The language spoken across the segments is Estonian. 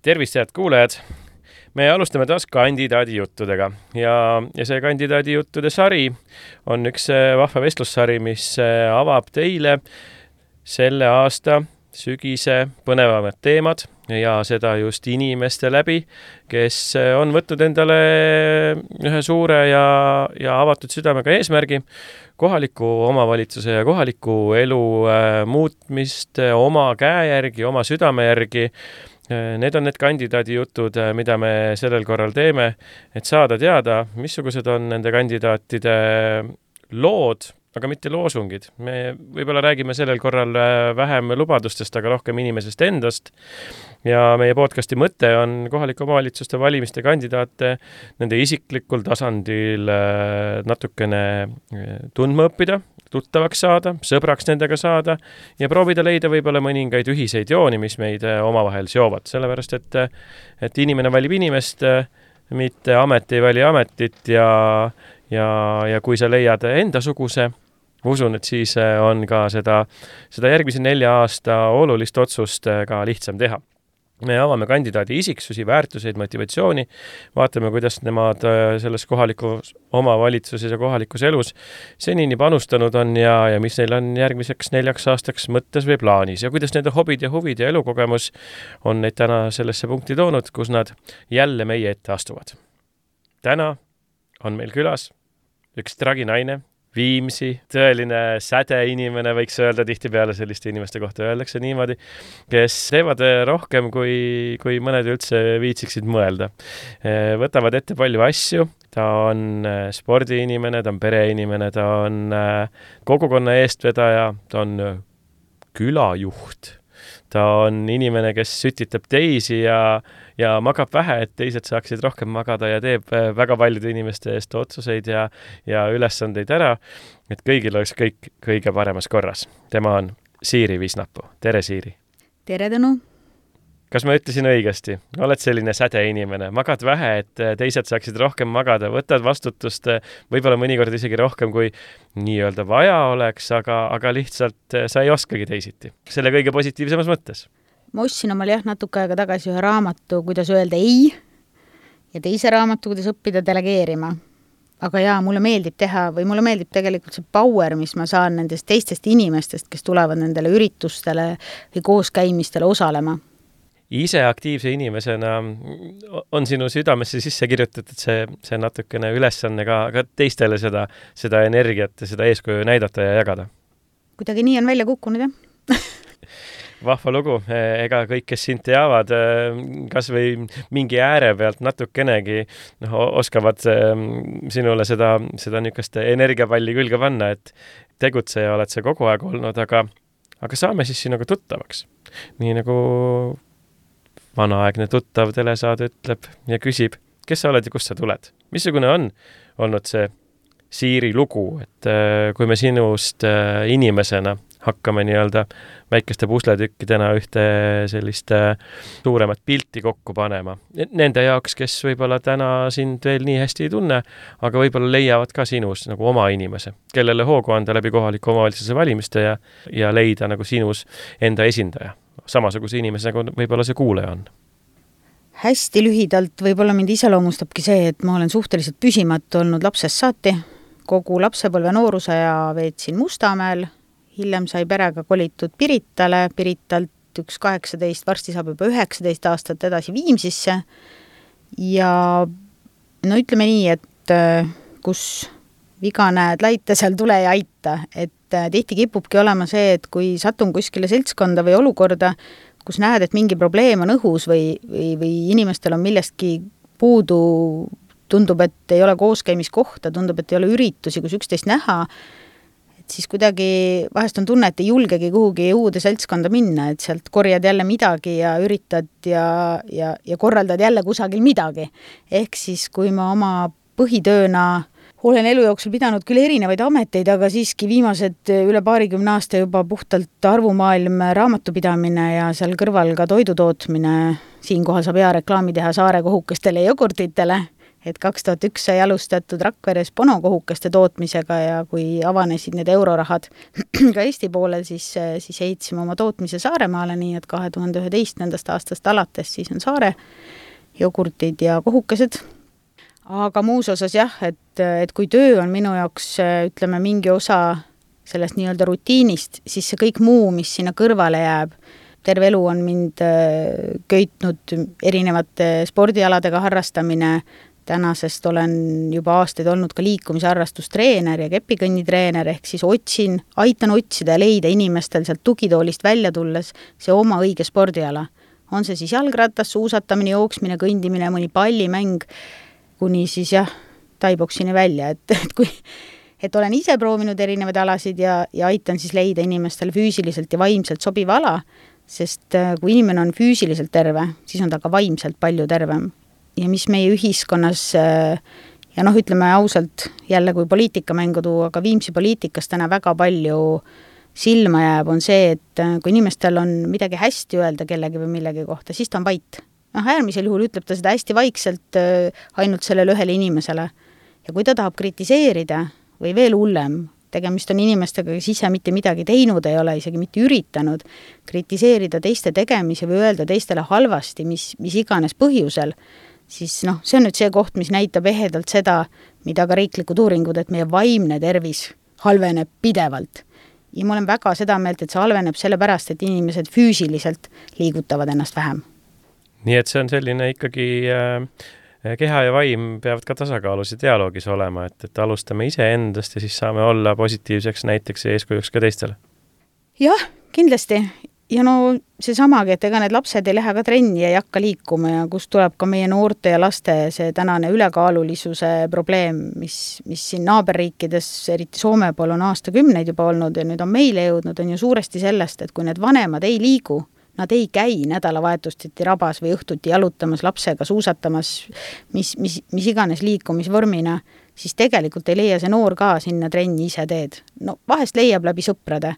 Tervist, head kuulajad! Me alustame taas kandidaadi juttudega ja see kandidaadi juttude sari on üks vahva vestlussari, mis avab teile selle aasta sügise põnevamad teemad ja seda just inimeste läbi, kes on võtnud endale ühe suure ja avatud südamega eesmärgi kohaliku omavalitsuse ja kohaliku elu muutmist oma käe järgi, oma südame järgi. Need on need kandidaadi jutud, mida me sellel korral teeme, et saada teada, missugused on nende kandidaatide lood, aga mitte loosungid. Me võib-olla räägime sellel korral vähem lubadustest, aga rohkem inimesest endast. Ja meie podcasti mõte on kohalike omavalitsuste valimiste kandidaate nende isiklikul tasandil natukene tundma õppida, tuttavaks saada, sõbraks nendega saada ja proovida leida võib-olla mõningaid ühiseid jooni, mis meid omavahel seovad. Sellepärast, et inimene valib inimest, mitte amet ei vali ametit ja kui sa leiad endasuguse, usun, et siis on ka seda järgmise 4 aasta olulist otsust ka lihtsam teha. Me avame kandidaadi isiksusi, väärtuseid, motivatsiooni, vaatame, kuidas nemad selles kohalikus omavalitsuses ja kohalikus elus senini panustanud on ja mis neil on järgmiseks 4 aastaks mõttes või plaanis ja kuidas nende hobid ja huvid ja elukogemus on neid täna sellesse punkti toonud, kus nad jälle meie ette astuvad. Täna on meil külas üks traginaine, Viimsi, tõeline sädeinimene, võiks öelda tihtipeale selliste inimeste kohta öeldakse niimoodi, kes teevad rohkem, kui mõned üldse viitsiksid mõelda. Võtavad ette palju asju, ta on spordiinimene, ta on pereinimene, ta on kogukonna eestvedaja, ta on külajuht, ta on inimene, kes sütitab teisi ja magab vähe, et teised saaksid rohkem magada ja teeb väga paljude inimeste eest otsuseid ja ülesandeid ära, et kõigil oleks kõik kõige paremas korras. Tema on Siiri Visnapuu. Tere, Siiri! Tere, Tõnu! Kas ma ütlesin õigesti? Oled selline sädeinimene, magad vähe, et teised saaksid rohkem magada, võtad vastutust võib-olla mõnikord isegi rohkem, kui nii-öelda vaja oleks, aga lihtsalt sa ei oskagi teisiti. Selle kõige positiivsemas mõttes. Ma ostsin omale natuke aega tagasi ühe raamatu, kuidas öelda ei, ja teise raamatu, kuidas õppida delegeerima. Aga mulle meeldib teha või mulle meeldib tegelikult see power, mis ma saan nendest teistest inimestest, kes tulevad nendele üritustele või kooskäimistele osalema. Ise aktiivse inimesena on sinu südamesse sisse kirjutatud see natukene ülesanne ka teistele seda energiat ja seda eeskuju näidata ja jagada. Kuidagi nii on välja kukkunud, jah? Vahva lugu. Ega kõik, kes sind teavad, kas või mingi ääre pealt natukenegi oskavad sinule seda niisugust energiapalli külge panna, et tegutseja oled sa kogu aeg olnud, aga saame siis sinuga tuttavaks. Nii nagu vanaaegne tuttav telesaade ütleb ja küsib, kes sa oled ja kust sa tuled. Missugune on olnud see Siiri lugu, et kui me sinust inimesena hakkame nii-öelda väikeste pusletükkidena ühte sellist suuremat pilti kokku panema. Nende jaoks, kes võib-olla täna sind veel nii hästi ei tunne, aga võib-olla leiavad ka sinus nagu oma inimese, kellele hoogu anda läbi kohaliku omavalitsuse valimiste ja leida nagu sinus enda esindaja. Samasuguse inimese, nagu võib-olla see kuulaja on. Hästi lühidalt võib-olla mind iseloomustabki see, et ma olen suhteliselt püsimatu olnud lapsest saati. Kogu lapsepõlve nooruse ja veetsin Mustamäel. Hiljem sai perega kolitud Piritale, Piritalt 18, varsti saab juba 19 aastat edasi Viimsisse. Ja ütleme nii, et kus viga näed laita, seal tule ja aita. Et tihti kipubki olema see, et kui satun kuskile seltskonda või olukorda, kus näed, et mingi probleem on õhus või inimestel on millestki puudu, tundub, et ei ole kooskäimiskohta, tundub, et ei ole üritusi, kus üksteist näha, et siis kuidagi vahest on tunne, et ei julgegi kuhugi uude seltskonda minna, et sealt korjad jälle midagi ja üritad ja korraldad jälle kusagil midagi. Ehk siis, kui ma oma põhitööna olen elu jooksul pidanud küll erinevaid ameteid, aga siiski viimased üle 20 aasta juba puhtalt arvumaailm raamatupidamine ja seal kõrval ka toidutootmine. Siinkohal saab hea reklaami teha Saare kohukestele ja jogurtitele, et 2001 sai alustatud Rakveres ponokohukaste tootmisega ja kui avanesid need eurorahad ka Eesti poolel, siis heitsime oma tootmise Saaremaale, nii et 2011. aastast alates siis on Saare jogurtid ja kohukesed. Aga muus osas jah, et kui töö on minu jaoks, ütleme, mingi osa sellest nii-öelda rutiinist, siis see kõik muu, mis sinna kõrvale jääb, terve elu on mind köitnud erinevate spordialadega harrastamine, tänasest olen juba aastaid olnud ka liikumisharrastustreener ja kepikõnnitreener, ehk siis aitan otsida ja leida inimestel sealt tugitoolist välja tulles see oma õige spordiala. On see siis jalgratas, suusatamine, jooksmine, kõndimine, mõni pallimäng, kuni siis jah, taiboksini välja, et olen ise proovinud erinevaid alasid ja aitan siis leida inimestel füüsiliselt ja vaimselt sobiva ala, sest kui inimene on füüsiliselt terve, siis on ta ka vaimselt palju tervem. Ja mis meie ühiskonnas, ja ütleme ausalt, jälle kui poliitikamängu tuua, aga Viimsi poliitikas täna väga palju silma jääb, on see, et kui inimestel on midagi hästi öelda kellegi või millegi kohta, siis ta on vait. Äärmisel juhul ütleb ta seda hästi vaikselt ainult sellele ühele inimesele. Ja kui ta tahab kritiseerida või veel hullem, tegemist on inimestega, kes ise mitte midagi teinud ei ole, isegi mitte üritanud kritiseerida teiste tegemisi või öelda teistele halvasti, mis iganes põhjusel, siis see on nüüd see koht, mis näitab ehedalt seda, mida ka riiklikud uuringud, et meie vaimne tervis halveneb pidevalt. Ja ma olen väga seda meelt, et see halveneb sellepärast, et inimesed füüsiliselt liigutavad ennast vähem. Nii et see on selline ikkagi keha ja vaim peavad ka tasakaalus ja dialoogis olema, et alustame ise endast ja siis saame olla positiivseks näiteks ja eeskujuks ka teistele. Jah, kindlasti. Ja see samagi, et ega need lapsed ei lähe ka trenni ja ei hakka liikuma ja kust tuleb ka meie noorte ja laste see tänane ülekaalulisuse probleem, mis siin naaberriikides, eriti Soome pool on aastakümneid juba olnud ja nüüd on meile jõudnud, on ju suuresti sellest, et kui need vanemad ei liigu, nad ei käi nädalavahetustiti rabas või õhtuti jalutamas lapsega, suusatamas, mis iganes liikumisvormina, siis tegelikult ei leia see noor ka sinna trenni ise teed. Vahest leiab läbi sõprade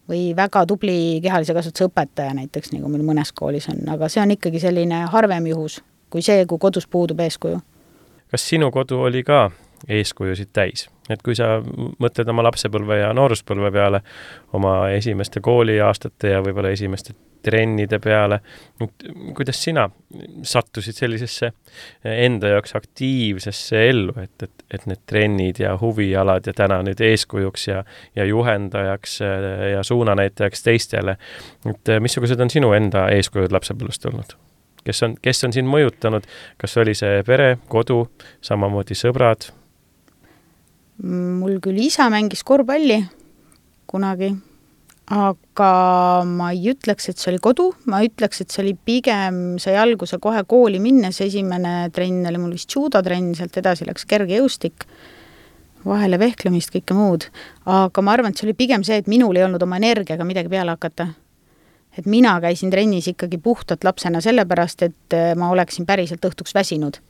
või väga tubli kehalise kasvatuse õpetaja näiteks, nagu meil mõnes koolis on, aga see on ikkagi selline harvem juhus, kui kodus puudub eeskuju. Kas sinu kodu oli ka eeskujusid täis? Et kui sa mõtled oma lapsepõlve ja nooruspõlve peale, oma esimeste kooliaastate ja võib-olla esimeste trennide peale, kuidas sina sattusid sellisesse enda jaoks aktiivsesse ellu, et need trennid ja huvialad ja täna nüüd eeskujuks ja juhendajaks ja suunanäitajaks teistele, et missugused on sinu enda eeskujud lapsepõlvest olnud? Kes on sind mõjutanud? Kas oli see pere, kodu, samamoodi sõbrad? Mul küll isa mängis korvpalli kunagi, aga ma ei ütleks, et see oli kodu, ma ütleks, et see oli pigem, sai alguse kohe kooli minnes, esimene trenn oli mul vist judotrenn, sealt edasi läks kergejõustik, vahele vehklemist, kõike muud, aga ma arvan, et see oli pigem see, et minul ei olnud oma energiaga midagi peale hakata. Et mina käisin trennis ikkagi puhtalt lapsena sellepärast, et ma oleksin päriselt õhtuks väsinud.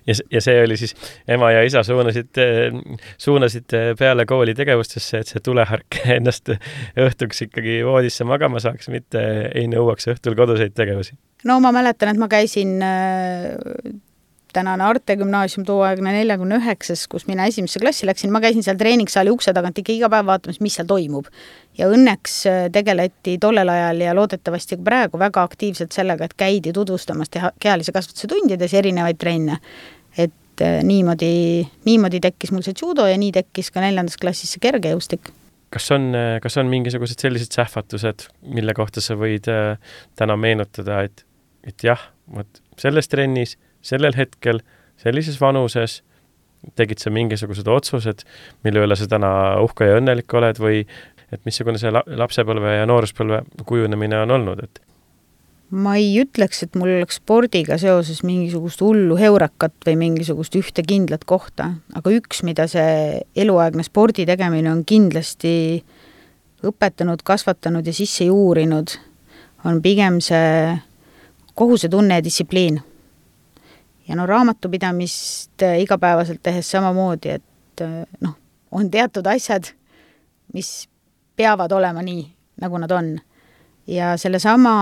Ja see oli siis, ema ja isa suunasid peale kooli tegevustesse, et see tulehark ennast õhtuks ikkagi voodisse magama saaks, mitte ei nõuaks õhtul koduseid tegevusi. Ma mäletan, et ma käisin tänane Arte gümnaasium tooaegne 49, kus mina esimesse klassi läksin, ma käisin seal treeningsaali ukse tagant ikka iga päev vaatamas, mis seal toimub. Ja õnneks tegeleti tollel ajal ja loodetavasti praegu väga aktiivselt sellega, et käidi tutvustamas kehalise kasvatuse tundides erinevaid trenne. Et niimoodi tekkis mul see judo ja nii tekkis ka 4. klassis see kergejõustik. Kas on mingisugused sellised sähvatused, mille kohta sa võid täna meenutada, et jah, selles trennis sellel hetkel, sellises vanuses tegid sa mingisugused otsused, mille üle sa täna uhke ja õnnelik oled või et missugune see lapsepõlve ja nooruspõlve kujunemine on olnud? Ma ei ütleks, et mul oleks spordiga seoses mingisugust hullu heurakat või mingisugust ühte kindlat kohta, aga üks, mida see eluaegne spordi tegemine on kindlasti õpetanud, kasvatanud ja sisse juurinud, on pigem see kohusetunne ja distsipliin. Ja raamatupidamist igapäevaselt tehes samamoodi, et on teatud asjad, mis peavad olema nii, nagu nad on. Ja selle sama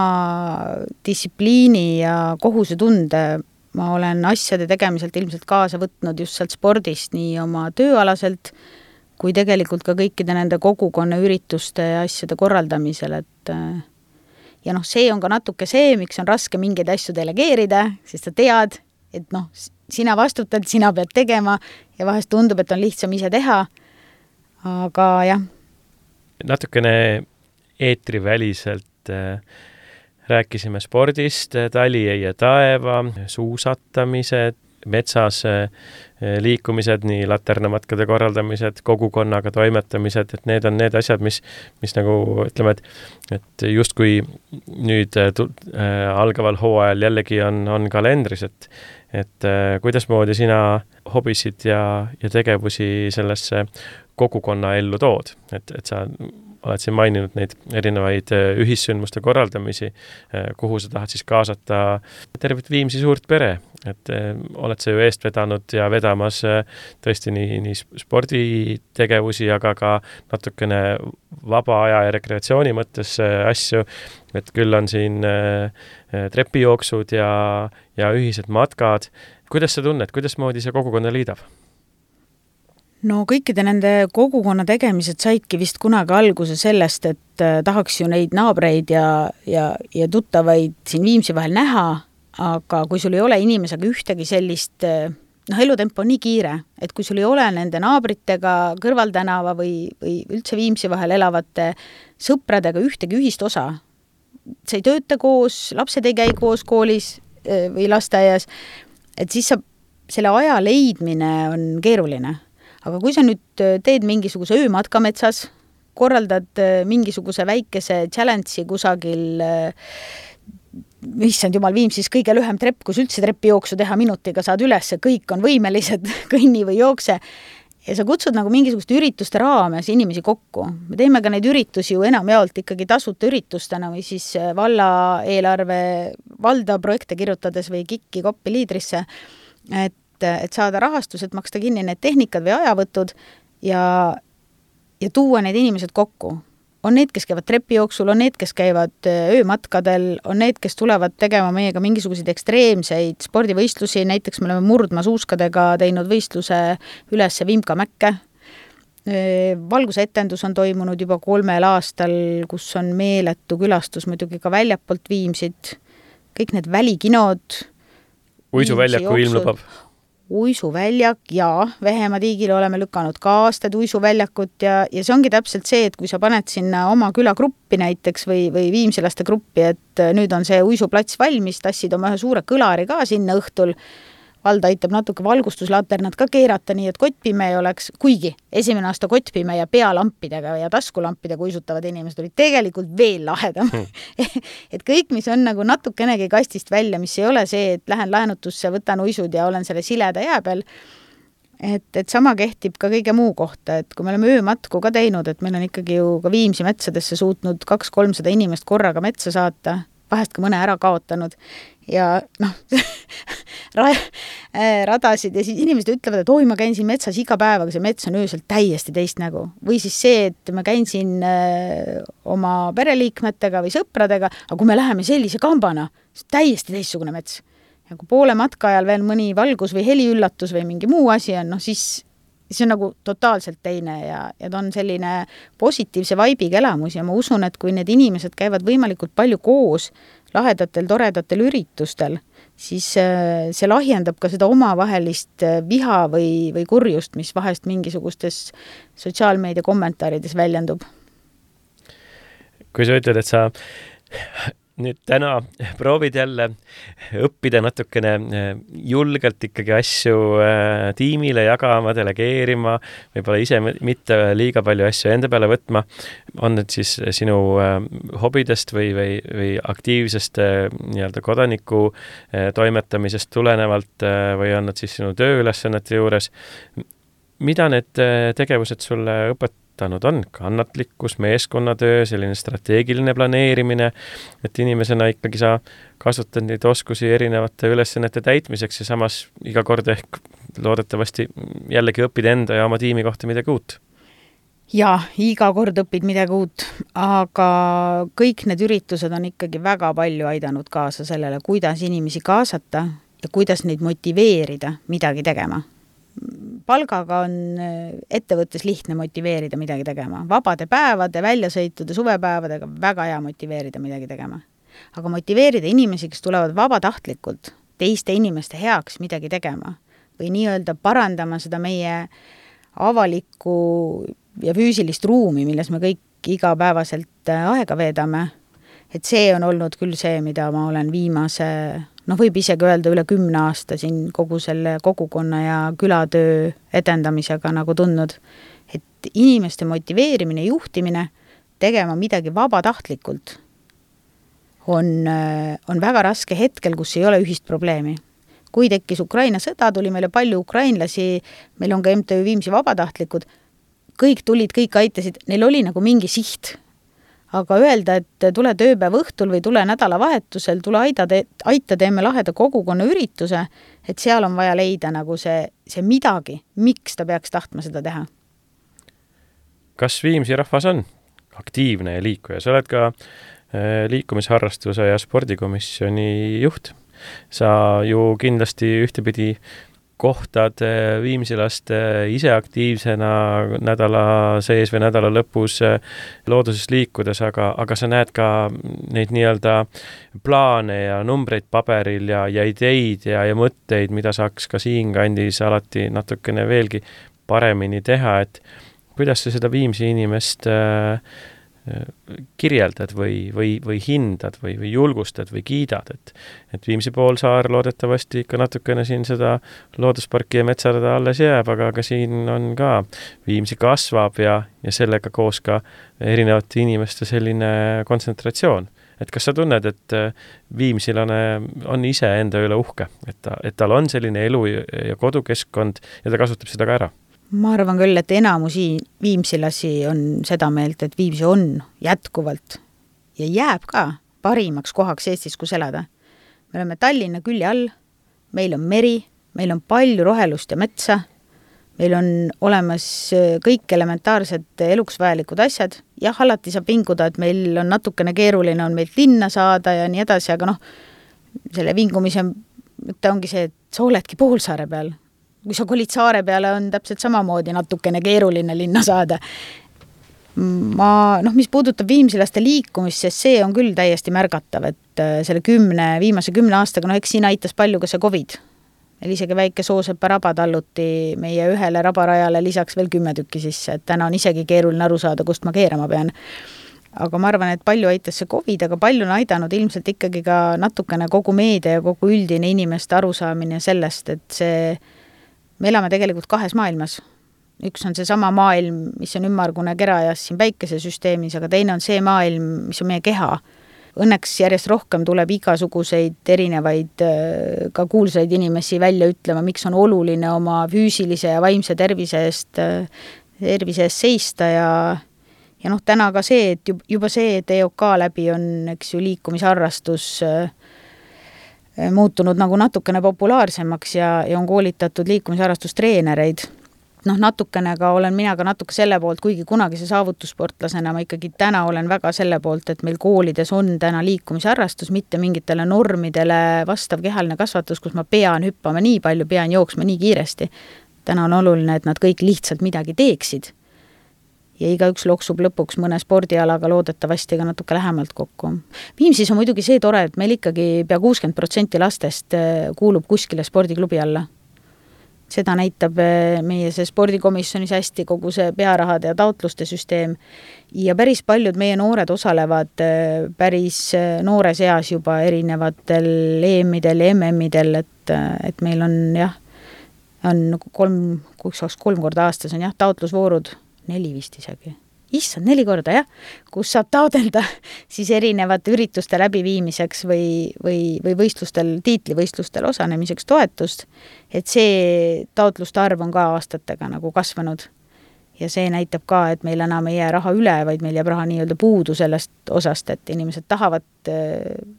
distsipliini ja kohusetunde ma olen asjade tegemiselt ilmselt kaasa võtnud just sealt spordist nii oma tööalaselt, kui tegelikult ka kõikide nende kogukonna ürituste ja asjade korraldamisel, et ja see on ka natuke see, miks on raske mingeid asju delegeerida, sest sa tead, et sina vastutad, sina pead tegema ja vahest tundub, et on lihtsam ise teha, aga jah. Natukene eetriväliselt rääkisime spordist, tali ja taeva, suusatamised, metsas liikumised, nii laternamatkade korraldamised, kogukonnaga toimetamised, et need on need asjad, mis nagu ütleme, et justkui nüüd algaval hooajal jällegi on kalendris, et kuidasmoodi sina hobisid ja tegevusi sellesse kogukonna ellu tood, et sa oled siin maininud neid erinevaid ühissündmuste korraldamisi, kuhu sa tahad siis kaasata tervet Viimsi suurt pere, et oled sa ju eest vedanud ja vedamas tõesti nii sporditegevusi, aga ka natukene vaba aja ja rekreatsiooni mõttes asju, et küll on siin trepijooksud ja ühised matkad. Kuidas sa tunned, kuidas moodi see kogukonna liidab? No kõikide nende kogukonna tegemised saidki vist kunagi alguse sellest, et tahaks ju neid naabreid ja tuttavaid siin Viimsi vahel näha, aga kui sul ei ole inimesega ühtegi sellist, elutempo on nii kiire, et kui sul ei ole nende naabritega kõrvaltänava või üldse Viimsi vahel elavate sõpradega ühtegi ühist osa, sa ei tööta koos, lapsed ei käi koos koolis või lasteaias, et siis selle aja leidmine on keeruline. Aga kui sa nüüd teed mingisuguse öömatka metsas, korraldad mingisuguse väikese challenge'i kusagil, issand jumal, Viimsis kõige lühem trepp, kus üldse trepijooksu teha minutiga saad üles, kõik on võimelised, kõnni või jookse, ja sa kutsud nagu mingisugust ürituste raames inimesi kokku. Me teeme ka neid üritusi ju enamjaolt ikkagi tasuta üritustena või siis valla eelarve valda projekte kirjutades või KIK-i koppi liidrisse, et saada rahastus, et maksta kinni need tehnikad või ajavõtud ja tuua need inimesed kokku. On need, kes käivad trepijooksul, on need, kes käivad öömatkadel, on need, kes tulevad tegema meiega mingisuguseid ekstreemseid spordivõistlusi, näiteks me oleme murdmaasuuskadega teinud võistluse ülesse Vimka mäkke. Valgusetendus on toimunud juba 3 aastal, kus on meeletu külastus muidugi ka väljapoolt Viimsit, kõik need välikinod. Uisuväljaku ilm lubab. Uisuväljak ja Vehemaa tiigile oleme lükanud ka aastad uisuväljakut ja see ongi täpselt see, et kui sa paned sinna oma külagruppi näiteks või viimsilaste gruppi, et nüüd on see uisuplats valmis, tassid oma ühe suure kõlari ka sinna õhtul, valda aitab natuke valgustuslaternad ka keerata, nii et kottpime ei oleks, kuigi esimene aasta kottpime ja pealampidega ja taskulampidega uisutavad inimesed olid tegelikult veel lahedam. Et kõik, mis on nagu natukenegi kastist välja, mis ei ole see, et lähen laenutusse, võtan uisud ja olen selle sileda jää peal, et sama kehtib ka kõige muu kohta, et kui me oleme öömatku ka teinud, et meil on ikkagi ju ka Viimsi metsadesse suutnud 200-300 inimest korraga metsa saata, vahest ka mõne ära kaotanud ja radasid ja siis inimesed ütlevad, et oi, ma käin siin metsas iga päev, aga see mets on öösel täiesti teist nägu. Või siis see, et ma käin siin oma pereliikmetega või sõpradega, aga kui me läheme sellise kambana, see on täiesti teistsugune mets. Ja kui poole matka ajal veel mõni valgus või heliüllatus või mingi muu asi on, siis see on nagu totaalselt teine ja ta on selline positiivse vaibiga elamus ja ma usun, et kui need inimesed käivad võimalikult palju koos lahedatel, toredatel üritustel, siis see lahjendab ka seda omavahelist viha või kurjust, mis vahest mingisugustes sotsiaalmeedia kommentaarides väljendub. Kui sa ütled, et sa nüüd täna proovid jälle õppida natukene julgelt ikkagi asju tiimile jagama, delegeerima, võib-olla ise mitte liiga palju asju enda peale võtma. On need siis sinu hobidest või aktiivsest nii-öelda kodaniku toimetamisest tulenevalt või on nad siis sinu tööülesannete juures? Mida need tegevused sulle õpetanud on? Kannatlikkus, meeskonnatöö, selline strateegiline planeerimine, et inimesena ikkagi sa kasutad neid oskusi erinevate ülesannete täitmiseks ja samas iga kord ehk loodetavasti jällegi õpid enda ja oma tiimi kohta midagi uut. Ja, iga kord õpid midagi uut, aga kõik need üritused on ikkagi väga palju aidanud kaasa sellele, kuidas inimesi kaasata ja kuidas neid motiveerida midagi tegema. Palgaga on ettevõttes lihtne motiveerida midagi tegema. Vabade päevade, väljasõitude, suvepäevadega väga hea motiveerida midagi tegema. Aga motiveerida inimesi, kes tulevad vabatahtlikult teiste inimeste heaks midagi tegema või nii-öelda parandama seda meie avalikku ja füüsilist ruumi, milles me kõik igapäevaselt aega veedame, et see on olnud küll see, mida ma olen viimase, võib isegi öelda üle 10 aasta siin kogu selle kogukonna ja külatöö edendamisega nagu tundnud, et inimeste motiveerimine, juhtimine, tegema midagi vabatahtlikult on väga raske hetkel, kus ei ole ühist probleemi. Kui tekkis Ukraina sõda, tuli meile palju ukrainlasi, meil on ka MTÜ Viimsi vabatahtlikud, kõik tulid, kõik aitasid, neil oli nagu mingi siht. Aga öelda, et tule tööpäev õhtul või tule nädalavahetusel, tule aita teeme laheda kogukonna ürituse, et seal on vaja leida nagu see midagi, miks ta peaks tahtma seda teha. Kas Viimsi rahvas on aktiivne ja liikuja? Sa oled ka liikumisharrastuse ja spordikomisjoni juht. Sa ju kindlasti ühtepidi kohtad viimsilaste ise aktiivsena nädala sees või nädala lõpus looduses liikudes, aga sa näed ka neid nii-öelda plaane ja numbreid paberil ja ideid ja mõtteid, mida saaks ka siin kandis alati natukene veelgi paremini teha, et kuidas sa seda Viimsi inimest kirjeldad või hindad või julgustad või kiidad, et Viimsi poolsaar loodetavasti ikka natukene siin seda loodusparki ja metsarada alles jääb, aga siin on ka Viimsi kasvab ja sellega koos ka erinevate inimeste selline kontsentratsioon. Et kas sa tunned, et viimsilane on ise enda üle uhke, et tal on selline elu ja kodukeskkond ja ta kasutab seda ka ära? Ma arvan küll, et enamusi viimsilasi on seda meelt, et Viimsi on jätkuvalt ja jääb ka parimaks kohaks Eestis, kus elada. Me oleme Tallinna külje all, meil on meri, meil on palju rohelust ja metsa, meil on olemas kõik elementaarsed eluks vajalikud asjad. Jah, alati saab vinguda, et meil on natukene keeruline on meilt linna saada ja nii edasi, aga selle vingumise ongi see, et sa oledki poolsaare peal. Kui sa kolid saare peale, on täpselt samamoodi natukene keeruline linna saada. Mis puudutab viimsilaste liikumist, sest see on küll täiesti märgatav, et selle viimase 10 aastaga, eks siin aitas palju ka see COVID. Meil isegi väike Soosepa raba talluti meie ühele rabarajale lisaks veel 10 tükki sisse, et täna on isegi keeruline aru saada, kust ma keerama pean. Aga ma arvan, et palju aitas see COVID, aga palju on aidanud ilmselt ikkagi ka natukene kogu meedia ja kogu üldine inimeste arusaamine sellest, et me elame tegelikult 2 maailmas. Üks on see sama maailm, mis on ümmargune kerajas siin päikesesüsteemis, aga teine on see maailm, mis on meie keha. Õnneks järjest rohkem tuleb igasuguseid erinevaid ka kuulsaid inimesi välja ütlema, miks on oluline oma füüsilise ja vaimse tervise eest seista ja täna ka see, et juba see, et EOK läbi on liikumisharrastus muutunud nagu natukene populaarsemaks ja on koolitatud liikumisharrastustreenereid. Natukene ka olen mina ka natuke selle poolt, kuigi kunagise saavutussportlasena ma ikkagi täna olen väga selle poolt, et meil koolides on täna liikumisharrastus, mitte mingitele normidele vastav kehaline kasvatus, kus ma pean hüppama nii palju, pean jooksma nii kiiresti. Täna on oluline, et nad kõik lihtsalt midagi teeksid. Ja igaüks loksub lõpuks mõne spordialaga loodetavasti ka natuke lähemalt kokku. Viimsis on muidugi see tore, et meil ikkagi pea 60% lastest kuulub kuskile spordiklubi alla. Seda näitab meie see spordikomisjonis hästi kogu see pearahade ja taotluste süsteem ja päris paljud meie noored osalevad päris noores eas juba erinevatel EM-idel ja MM-idel, et meil on on 3 korda aastas on taotlusvoorud 4 vist isegi. Issand, 4 korda, kus saab taodelda siis erinevate ürituste läbiviimiseks või võistlustel, tiitlivõistlustel osanemiseks toetust, et see taotluste arv on ka aastatega nagu kasvanud. Ja see näitab ka, et meil enam ei jää raha üle, vaid meil jääb raha nii-öelda puudu sellest osast, et inimesed tahavad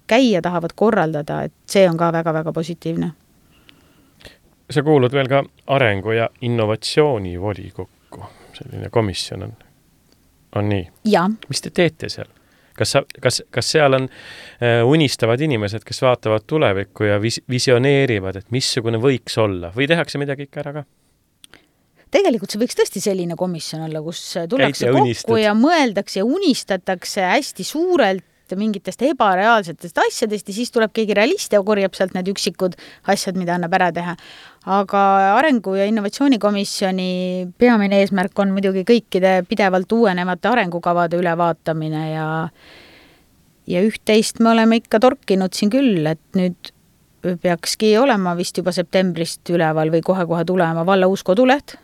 käia, tahavad korraldada, et see on ka väga-väga positiivne. Sa kuulud veel ka arengu- ja innovatsiooni volikokku. Selline komisjon on nii. Ja. Mis te teete seal? Kas seal on unistavad inimesed, kes vaatavad tulevikku ja visioneerivad, et missugune võiks olla või tehakse midagi ikka ära ka? Tegelikult see võiks tõesti selline komisjon olla, kus tullakse kokku ja mõeldakse ja unistatakse hästi suurelt mingitest ebareaalsetest asjadest ja siis tuleb keegi realist ja korjab sealt need üksikud asjad, mida annab ära teha. Aga arengu- ja innovatsioonikomisjoni peamine eesmärk on muidugi kõikide pidevalt uuenevate arengukavade ülevaatamine ja üht-teist me oleme ikka torkinud siin küll, et nüüd peakski olema vist juba septembrist üleval või kohe-kohe tulema valla uus koduleht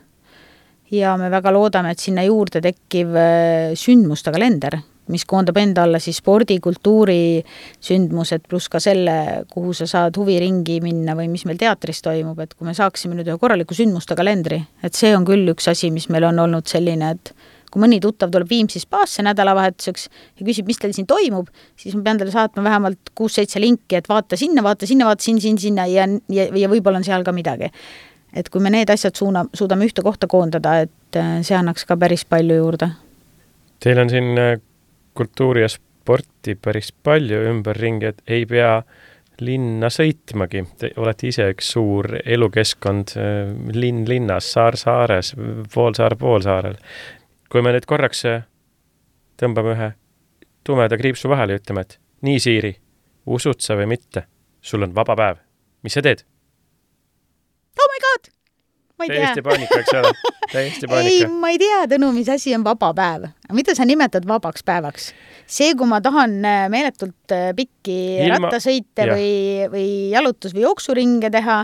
ja me väga loodame, et sinna juurde tekkiv sündmuste kalender, mis koondab enda alla siis spordi, kultuuri sündmused pluss ka selle, kuhu sa saad huviringi minna või mis meil teatris toimub, et kui me saaksime nüüd ühe korraliku sündmuste kalendri, et see on küll üks asi, mis meil on olnud selline, et kui mõni tuttav tuleb Viimsis Spaasse nädalavahetuseks ja küsib, mis teil siin toimub, siis ma pean talle saatma vähemalt 6-7 linki, et vaata sinna ja võib-olla on seal ka midagi. Et kui me need asjad suudame ühte kohta koondada, et see annaks ka päris palju juurde. Teil on siin kultuuri ja sporti päris palju ümberringi, et ei pea linna sõitmagi. Te olete ise üks suur elukeskkond linn linnas, saar saares, poolsaarel. Kui me nüüd korraks tõmbame ühe tumeda kriipsu vahele ja ütleme, et nii Siiri, usud sa või mitte, sul on vaba päev. Mis sa teed? Oh my god! Ma ei Täiesti paanika, eks ole? Täiesti paanika. Ei, ma ei tea, Tõnu, mis asi on vaba päev. Mida sa nimetad vabaks päevaks? See, kui ma tahan meeletult pikki rattasõite või jalutus- või jooksuringe teha.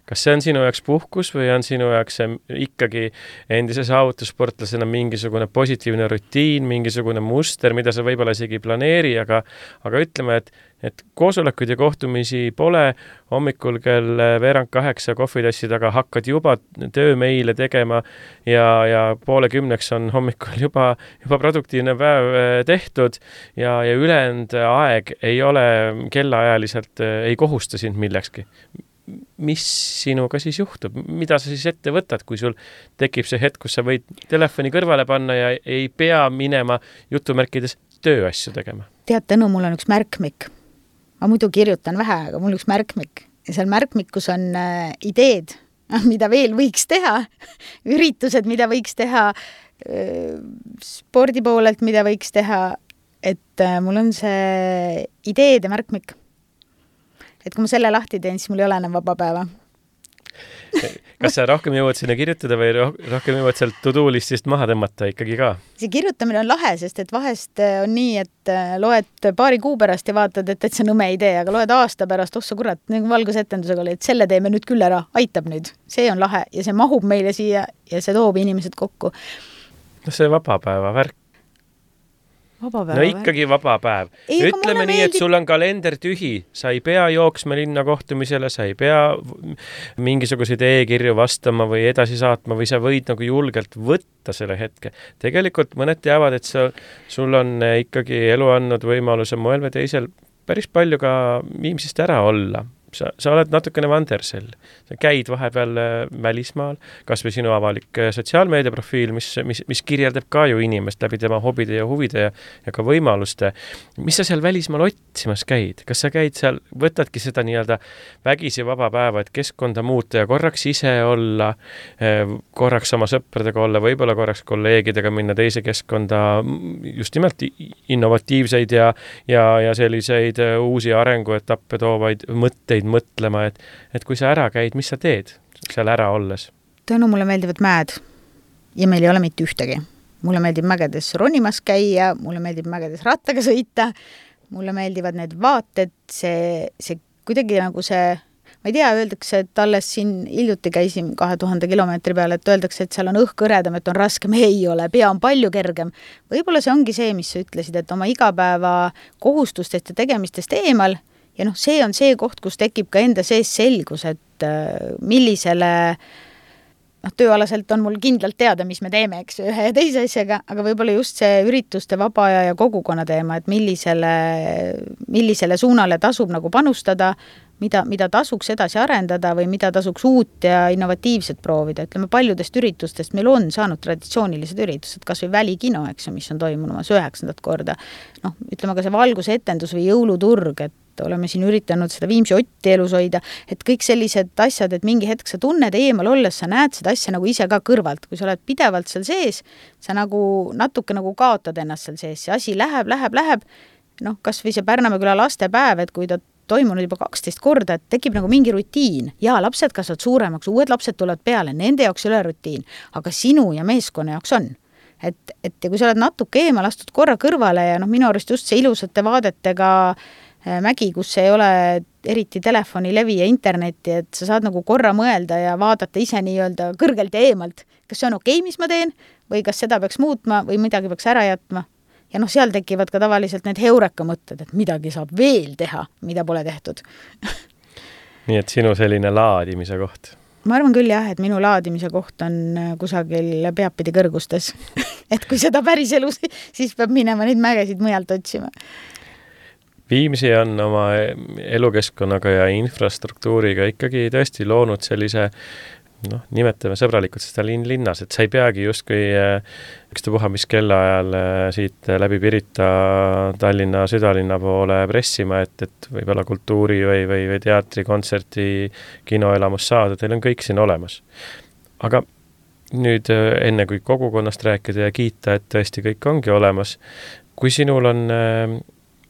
Kas see on sinu jaoks puhkus või on sinu jaoks ikkagi endise saavutussportlasena mingisugune positiivne rutiin, mingisugune muster, mida sa võib-olla isegi planeeri, aga ütleme, et koosolekuid ja kohtumisi pole, hommikul kell 7:45 kohvitassi taga hakkad juba töömeile tegema ja 9:30 on hommikul juba produktiivne päev tehtud ja ülejäänud aeg ei ole kellaajaliselt, ei kohusta sind millekski. Mis sinuga siis juhtub? Mida sa siis ette võtad, kui sul tekib see hetk, kus sa võid telefoni kõrvale panna ja ei pea minema jutumärkides tööasju tegema? Tead, Tõnu, mul on üks märkmik. Ma muidu kirjutan vähe, aga mul üks märkmik. Ja seal märkmikus on ideed, mida veel võiks teha, üritused, mida võiks teha, spordi poolelt, mida võiks teha, et mul on see ideede märkmik. Et kui ma selle lahti teen, siis mul ei ole enam vaba päeva. Kas sa rohkem jõuad sinna kirjutada või rohkem jõuad sealt to-do-listist maha tõmmata ikkagi ka? See kirjutamine on lahe, sest et vahest on nii, et loed paari kuu pärast ja vaatad, et see nõme idee, aga loed aasta pärast, ossa kurat, nagu valgusetendusega oli, et selle teeme nüüd küll ära, aitab nüüd. See on lahe ja see mahub meile siia ja see toob inimesed kokku. No see vaba päeva värk. No ikkagi vaba päev. Ütleme nii, et sul on kalender tühi, sa ei pea jooksma linna kohtumisele, sa ei pea mingisuguseid e-kirju vastama või edasi saatma või sa võid nagu julgelt võtta selle hetke. Tegelikult mõned teavad, et sul on ikkagi elu andnud võimaluse moel või teisel päris palju ka Viimsist ära olla. Sa oled natukene vandersell. Sa käid vahepeal välismaal, kas või sinu avalik sotsiaalmeediaprofiil, mis kirjeldab ka ju inimest läbi tema hobide ja huvide ja ka võimaluste. Mis sa seal välismaal otsimas käid? Kas sa käid seal, võtadki seda nii-öelda vägisi vaba päeva, et keskkonda muuta ja korraks ise olla, korraks oma sõpradega olla, võib-olla korraks kolleegidega minna teise keskkonda, just nimelt innovatiivseid ja selliseid uusi arenguetappe toovaid mõtteid mõtlema, et kui sa ära käid, mis sa teed seal ära olles? Tõnu, mulle meeldivad mäed ja meil ei ole mitte ühtegi. Mulle meeldib mägedes ronimas käia, mulle meeldib mägedes rattaga sõita, mulle meeldivad need vaated, see kuidagi nagu see, ma ei tea, öeldakse, et alles siin hiljuti käisin 2000 kilomeetri peale, et öeldakse, et seal on õhk kõredam, et on raskem, ei ole, pea on palju kergem. Võib-olla see ongi see, mis sa ütlesid, et oma igapäeva kohustustest ja tegemistest eemal. Ja see on see koht, kus tekib ka enda sees selgus, et millisele tööalaselt on mul kindlalt teada, mis me teeme, eks ühe ja teise asjaga, aga võib-olla just see ürituste vaba aja ja kogukonna teema, et millisele suunale tasub nagu panustada, mida tasuks edasi arendada või mida tasuks uut ja innovatiivset proovida. Ütleme, paljudest üritustest meil on saanud traditsioonilised üritused, kas või Välikino, eks, mis on toimumas 9. korda. Ütleme ka see valgusetendus või jõuluturg, et oleme siin üritanud seda Viimsi Otti elus hoida, et kõik sellised asjad, et mingi hetk sa tunned eemal olles, sa näed seda asja nagu ise ka kõrvalt, kui sa oled pidevalt seal sees, sa nagu natuke nagu kaotad ennast seal sees, see asi läheb, kas või see Pärnamäe küla lastepäev, et kui ta toimunud juba 12 korda, et tekib nagu mingi rutiin ja lapsed kasvavad suuremaks, uued lapsed tulevad peale, nende jaoks ei ole rutiin, aga sinu ja meeskonna jaoks on. Et ja kui sa oled natuke eemal astud korra kõrvale ja minu arust just see ilusate vaadetega mägi, kus ei ole eriti telefonilevi ja internetti, et sa saad nagu korra mõelda ja vaadata ise nii-öelda kõrgelt ja eemalt, kas see on okei, mis ma teen või kas seda peaks muutma või midagi peaks ära jätma. Ja seal tekivad ka tavaliselt need heureka mõtted, et midagi saab veel teha, mida pole tehtud. Nii et sinu selline laadimise koht? Ma arvan küll jah, et minu laadimise koht on kusagil peapidi kõrgustes. Et kui seda päris elus, siis peab minema neid mägesid mujalt otsima. Viimsi on oma elukeskkonnaga ja infrastruktuuriga ikkagi tõesti loonud sellise nimetame sõbralikult seda linnas, et sa ei peagi justkui ükstapuha mis kellaajal siit läbi Pirita Tallinna südalinna poole pressima, et võib-olla kultuuri või teatri, kontserti, kinoelamus saada, teil on kõik siin olemas. Aga nüüd enne kui kogukonnast rääkida ja kiita, et tõesti kõik ongi olemas, kui sinul on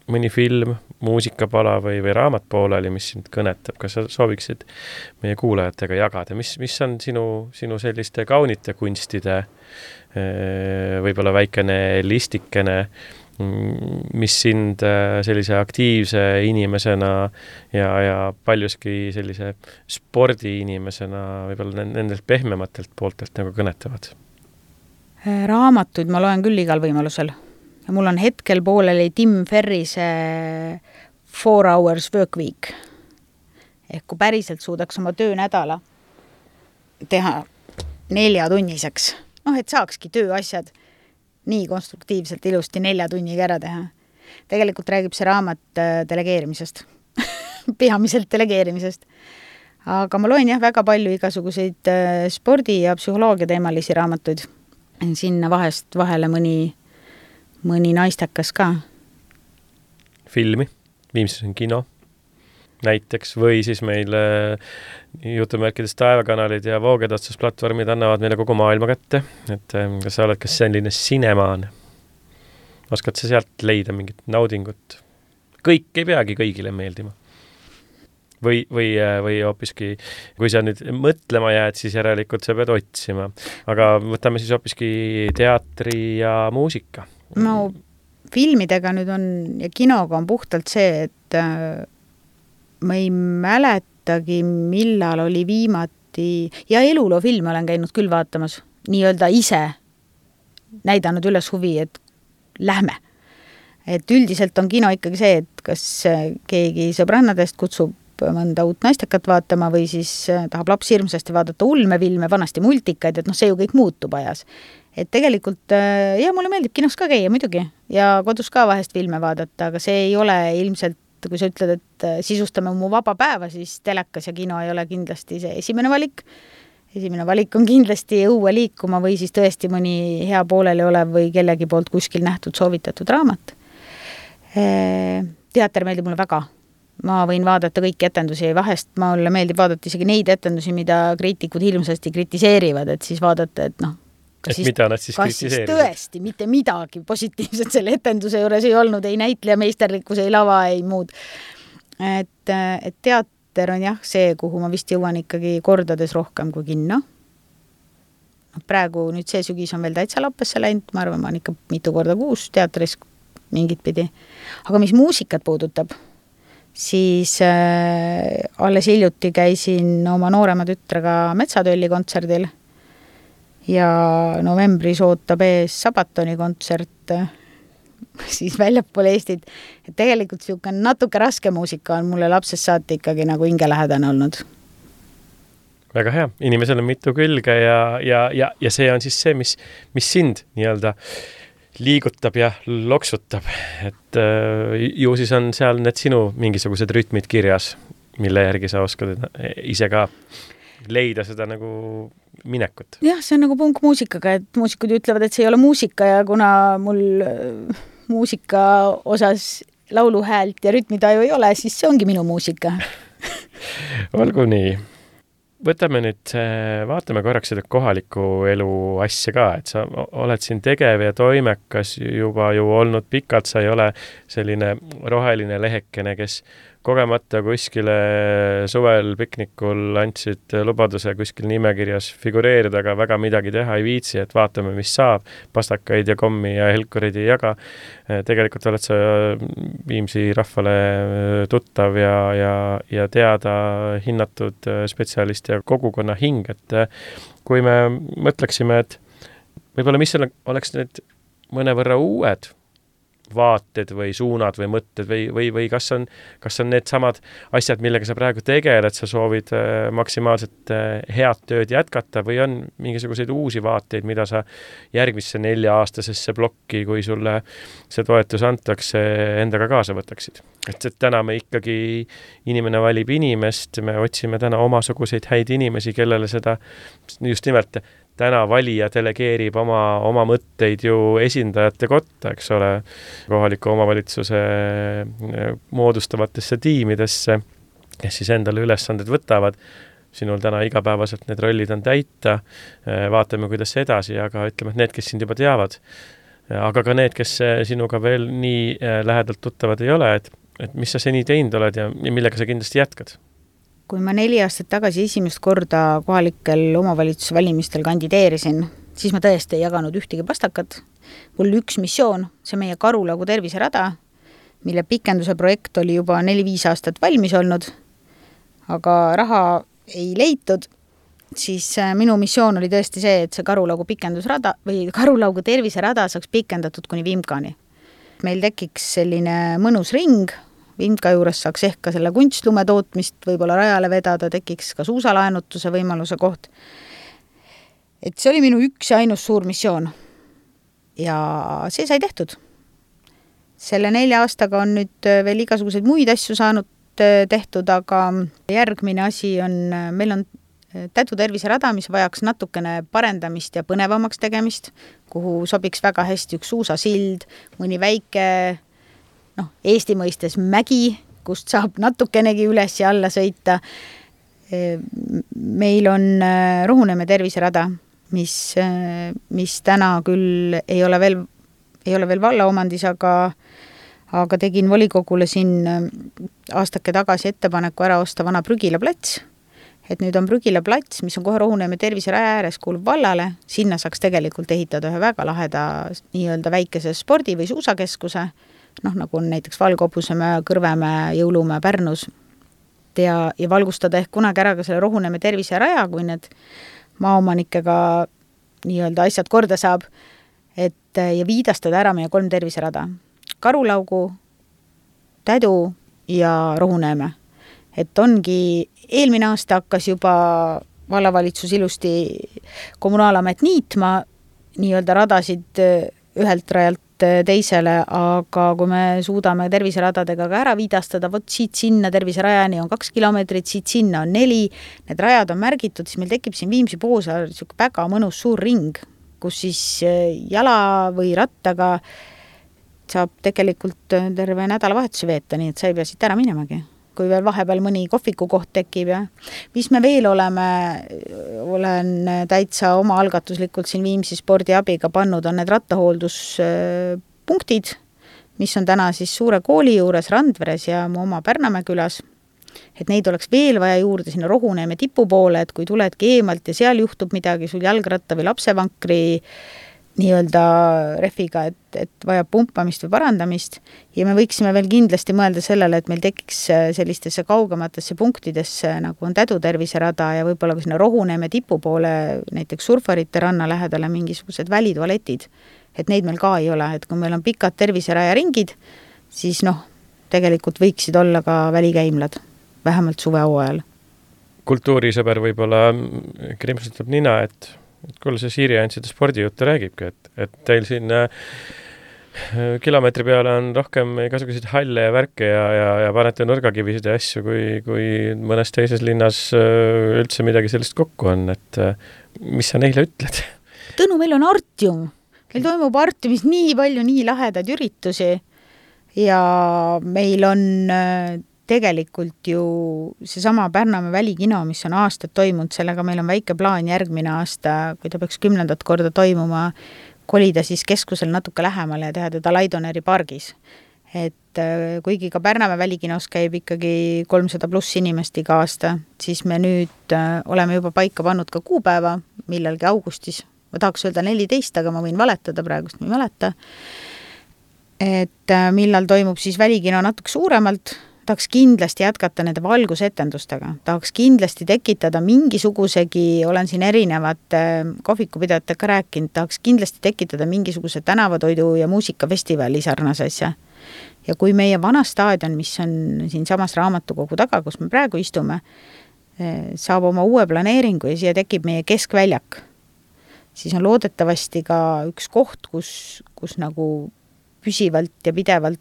mõni film, muusikapala või raamat pooleli, mis sind kõnetab, kas sa sooviksid meie kuulajatega jagada? Mis on sinu selliste kaunite kunstide võib-olla väikene listikene, mis sind sellise aktiivse inimesena ja paljuski sellise spordiinimesena võib-olla nendelt pehmematelt pooltelt nagu kõnetavad? Raamatuid ma loen küll igal võimalusel. Ja mul on hetkel pooleli Tim Ferrise 4 Hours Work Week. Ehk kui päriselt suudaks oma töönädala teha 4-tunniseks, et saakski tööasjad nii konstruktiivselt ilusti 4 tunniga ära teha. Tegelikult räägib see raamat delegeerimisest, peamiselt delegeerimisest. Aga ma loen väga palju igasuguseid spordi- ja psühholoogia teemalisi raamatuid. Sinna vahele mõni naistekas ka. Filmi, Viimsis on kino näiteks, või siis meil jutumärkides taevakanalid ja voogedastusplatvormid annavad meile kogu maailma kätte. Et kas sa oled selline sinemaan? Oskad sa sealt leida mingit naudingut? Kõik ei peagi kõigile meeldima. Või hoopiski, kui sa nüüd mõtlema jääd, siis järelikult sa pead otsima. Aga võtame siis hoopiski teatri ja muusika. No filmidega nüüd on ja kinoga on puhtalt see, et ma ei mäletagi, millal oli viimati ja eluloofilme olen käinud küll vaatamas, nii-öelda ise näidanud üles huvi, et lähme. Et üldiselt on kino ikkagi see, et kas keegi sõbrannadest kutsub mõnda uut naistekat vaatama või siis tahab laps hirmsasti vaadata ulmefilme, vanasti multikaid, et see ju kõik muutub ajas. Et tegelikult, mulle meeldib kinos ka käia muidugi ja kodus ka vahest filme vaadata, aga see ei ole ilmselt, kui sa ütled, et sisustame mu vaba päeva, siis telekas ja kino ei ole kindlasti see esimene valik. Esimene valik on kindlasti õue liikuma või siis tõesti mõni hea pooleli olev või kellegi poolt kuskil nähtud soovitatud raamat. Teater meeldib mulle väga. Ma võin vaadata kõiki etendusi ja vahest mulle meeldib vaadata isegi neid etendusi, mida kriitikud hirmsasti kritiseerivad, et siis vaadata, et mida nad siis kritiseerivad? Tõesti, mitte midagi positiivset selle etenduse juures ei olnud, ei näitleja meisterlikkus, ei lava, ei muud. Et teater on see, kuhu ma vist jõuan ikkagi kordades rohkem kui kinno. Praegu nüüd see sügis on veel täitsa lappesse läinud, ma arvan, ma olen ikka mitu korda kuus teatris mingit pidi. Aga mis muusikat puudutab, siis alles hiljuti käisin oma noorema tütrega Metsatölli kontserdil ja novembris ootab ees Sabatoni kontsert siis väljapool Eestit. Et tegelikult natuke raske muusika on mulle lapsest saati ikkagi nagu hingelähedane olnud. väga hea, inimesel on mitu külge ja see on siis see, mis sind nii-öelda liigutab ja loksutab, et ju siis on seal need sinu mingisugused rütmid kirjas, mille järgi sa oskad ise ka leida seda nagu minekut. Jah, see on nagu punkmuusikaga, et muusikud ütlevad, et see ei ole muusika ja kuna mul muusika osas lauluhäält ja rütmitaju ei ole, siis see ongi minu muusika. Olgu nii. Võtame nüüd, vaatame korraks seda kohaliku elu asja ka, et sa oled siin tegev ja toimekas juba ju olnud pikalt, sa ei ole selline roheline lehekene, kes kogemata kuskile suvel piknikul andsid lubaduse kuskil nimekirjas figureerida, aga väga midagi teha ei viitsi, et vaatame, mis saab, pastakaid ja kommi ja helkurid ei jaga. Tegelikult oled sa Viimsi rahvale tuttav ja teada hinnatud spetsialist ja kogukonna hing, et kui me mõtleksime, et võib-olla mis oleks need mõnevõrra uued vaated või suunad või mõtted või kas on need samad asjad, millega sa praegu tegeled, sa soovid maksimaalselt head tööd jätkata või on mingisuguseid uusi vaateid, mida sa järgmisse 4-aastasesse plokki, kui sulle see toetus antakse, endaga kaasa võtaksid? Et täna me ikkagi, inimene valib inimest, me otsime täna omasuguseid häid inimesi, kellele seda just nimelt täna valija delegeerib oma mõtteid ju esindajate kotta, eks ole, kohaliku omavalitsuse moodustavatesse tiimidesse, kes siis endale ülesanded võtavad. Sinul täna igapäevaselt need rollid on täita, vaatame, kuidas edasi, aga ütleme, et need, kes sind juba teavad, aga ka need, kes sinuga veel nii lähedalt tuttavad ei ole, et mis sa seni teinud oled ja millega sa kindlasti jätkad? Kui ma 4 aastat tagasi esimest korda kohalikel omavalitsuse valimistel kandideerisin, siis ma tõesti ei jaganud ühtegi pastakat. Mul üks missioon, see meie Karulaugu terviserada, mille pikenduse projekt oli juba 4-5 aastat valmis olnud, aga raha ei leitud, siis minu missioon oli tõesti see, et see Karulaugu pikendusrada või Karulaugu terviserada saaks pikendatud kuni Vimkani. Meil tekiks selline mõnus ring, Vimka juures saaks ehk ka selle kunstlume tootmist võib-olla rajale vedada, tekiks ka suusalaenutuse võimaluse koht. Et see oli minu üks ja ainus suur missioon. Ja see sai tehtud. Selle 4 aastaga on nüüd veel igasuguseid muid asju saanud tehtud, aga järgmine asi on, meil on Tädu terviserada, mis vajaks natukene parendamist ja põnevamaks tegemist, kuhu sobiks väga hästi üks suusasild, mõni väike Eesti mõistes mägi, kust saab natukenegi üles ja alla sõita. Meil on Ruhuneeme terviserada, mis täna küll ei ole veel valla omandis, aga tegin volikogule siin aastake tagasi ettepaneku ära osta vana Prügila plats. Et nüüd on Prügila plats, mis on kohe Ruhuneeme terviseraja ääres kuulub vallale. Sinna saaks tegelikult ehitada ühe väga laheda nii-öelda väikese spordi- või suusakeskuse, nagu on näiteks Valgobusemäe, Kõrvemäe, Jõulumäe, Pärnus ja valgustada ehk kunagi ära ka selle Ruhuneeme terviseraja, kui need maaomanikega nii-öelda asjad korda saab, ja viidastada ära meie 3 terviserada. Karulaugu, Tädu ja Ruhuneeme. Et ongi eelmine aasta hakkas juba vallavalitsus ilusti kommunaalamet niitma nii-öelda radasid ühelt rajalt teisele, aga kui me suudame terviseradadega ka ära viidastada, siit sinna terviserajani on 2 kilomeetrit, siit sinna on 4, need rajad on märgitud, siis meil tekib siin Viimsi Poosaar väga mõnus suur ring, kus siis jala või rattaga saab tegelikult terve nädalavahetuse veeta, nii et sa ei pea siit ära minemagi. Kui veel vahepeal mõni kohviku koht tekib ja mis me veel olen täitsa oma algatuslikult siin Viimsi spordiabiga pannud, on need rattahoolduspunktid, mis on täna siis suure kooli juures Randveres ja mu oma Pärnamäe külas. Et neid oleks veel vaja juurde sinna Ruhuneeme tipu poole, et kui tuledki eemalt ja seal juhtub midagi sul jalgratta või lapsevankri nii-öelda refiga, et vajab pumpamist või parandamist ja me võiksime veel kindlasti mõelda sellele, et meil tekiks sellistesse kaugematesse punktidesse, nagu on Tädu terviserada ja võib-olla ka sinna Ruhuneeme tipu poole, näiteks surfarite ranna lähedale mingisugused välitualetid, et neid meil ka ei ole, et kui meil on pikad terviseraja ringid, siis tegelikult võiksid olla ka välikäimlad, vähemalt suvehooajal. kultuurisõber võib-olla krimpsutab nina, et kuule, see Siiri ainult seda spordijuttu räägibki, et teil siin kilomeetri peale on rohkem igasuguseid halle ja värke ja panete nurgakivisid ja asju, kui mõnes teises linnas üldse midagi sellist kokku on, et mis sa neile ütled? Tõnu, meil on Artium. Meil toimub Artiumis nii palju nii lahedaid üritusi ja meil on tegelikult ju seesama Pärnamäe välikino, mis on aastad toimunud, sellega meil on väike plaan järgmine aasta, kui ta peaks 10. korda toimuma, kolida siis keskusel natuke lähemale ja teha teda Laidoneri pargis. Et kuigi ka Pärnamäe välikinos käib ikkagi 300+ inimest iga aasta, siis me nüüd oleme juba paika pannud ka kuupäeva, millalgi augustis. Ma tahaks öelda 14, aga ma võin valetada praegust, ma ei mäleta. Et millal toimub siis välikino natuke suuremalt, tahaks kindlasti jätkata nende valgusetendustega, tahaks kindlasti tekitada mingisugusegi, olen siin erinevate kohvikupidajatega rääkinud, tahaks kindlasti tekitada mingisuguse tänavatoidu ja muusikafestivali sarnase asja. Ja kui meie vana staadion, mis on siin samas raamatukogu taga, kus me praegu istume, saab oma uue planeeringu ja siia tekib meie keskväljak, siis on loodetavasti ka üks koht, kus nagu püsivalt ja pidevalt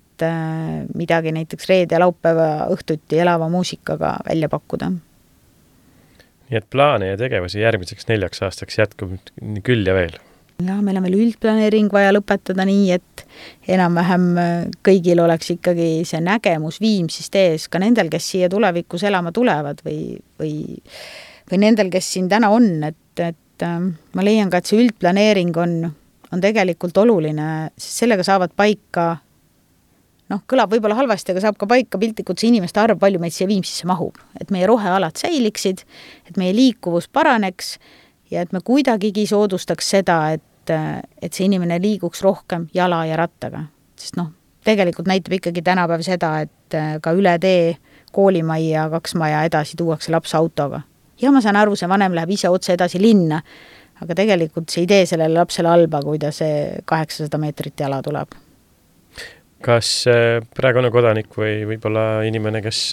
midagi näiteks reede ja laupäeva õhtuti elava muusikaga välja pakkuda. Nii et plaane ja tegevusi järgmiseks 4 aastaks jätkub küll ja veel. Ja meil on veel üldplaneering vaja lõpetada nii, et enam-vähem kõigil oleks ikkagi see nägemus Viimsist ees, ka nendel, kes siia tulevikus elama tulevad või nendel, kes siin täna on, et ma leian ka, et see üldplaneering on tegelikult oluline, sest sellega saavad paika, kõlab võib-olla halvasti, aga saab ka paika piltlikult see inimeste arv, palju meid siia Viimsisse mahub, et meie rohealad säiliksid, et meie liikuvus paraneks ja et me kuidagigi soodustaks seda, et see inimene liiguks rohkem jala ja rattaga. Sest tegelikult näitab ikkagi tänapäev seda, et ka üle tee koolimajja 2 maja edasi tuuakse laps autoga. Ja ma saan aru, see vanem läheb ise otse edasi linna, aga tegelikult see idee sellele lapsele halba, kui ta see 800 meetrit jala tuleb. Kas praegune kodanik või võib-olla inimene, kes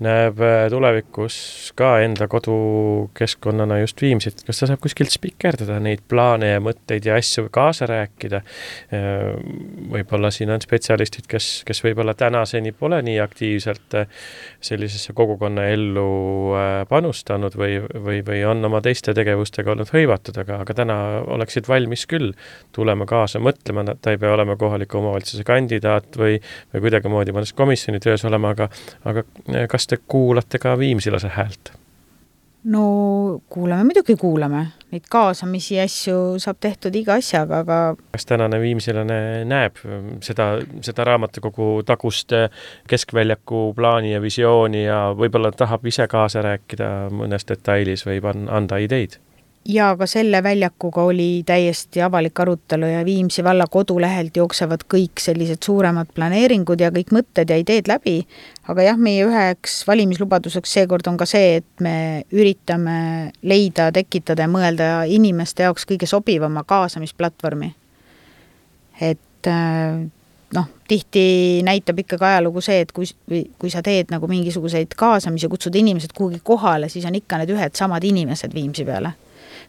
näeb tulevikus ka enda kodukeskkonnana just Viimsit, kas ta saab kuskilt spikerdada neid plaane ja mõtteid ja asju kaasa rääkida? Võib-olla siin on spetsialistid, kes võib-olla tänaseni pole nii aktiivselt sellisesse kogukonna ellu panustanud või on oma teiste tegevustega olnud hõivatud, aga täna oleksid valmis küll tulema kaasa, mõtlema, ta ei pea olema kohaliku omavalitsuse kandidaat või kuidagimoodi mõnes komisjoni töös olema, aga kas te kuulate ka viimsilase häält? No kuulame. Neid kaasamisi asju saab tehtud iga asjaga, aga... Kas tänane viimsilane näeb seda raamatukogu tagust keskväljaku plaani ja visiooni ja võib-olla tahab ise kaasa rääkida mõnes detailis või anda ideid? Ja ka selle väljakuga oli täiesti avalik arutelu ja Viimsi valla kodulehelt jooksevad kõik sellised suuremad planeeringud ja kõik mõtted ja ideed läbi. Aga jah, meie üheks valimislubaduseks seekord on ka see, et me üritame leida, tekitada ja mõelda inimeste jaoks kõige sobivama kaasamisplatvormi. Et tihti näitab ikkagi ajalugu see, et kui sa teed nagu mingisuguseid kaasamisi, kutsud inimesed kuhugi kohale, siis on ikka need ühed samad inimesed Viimsi peale.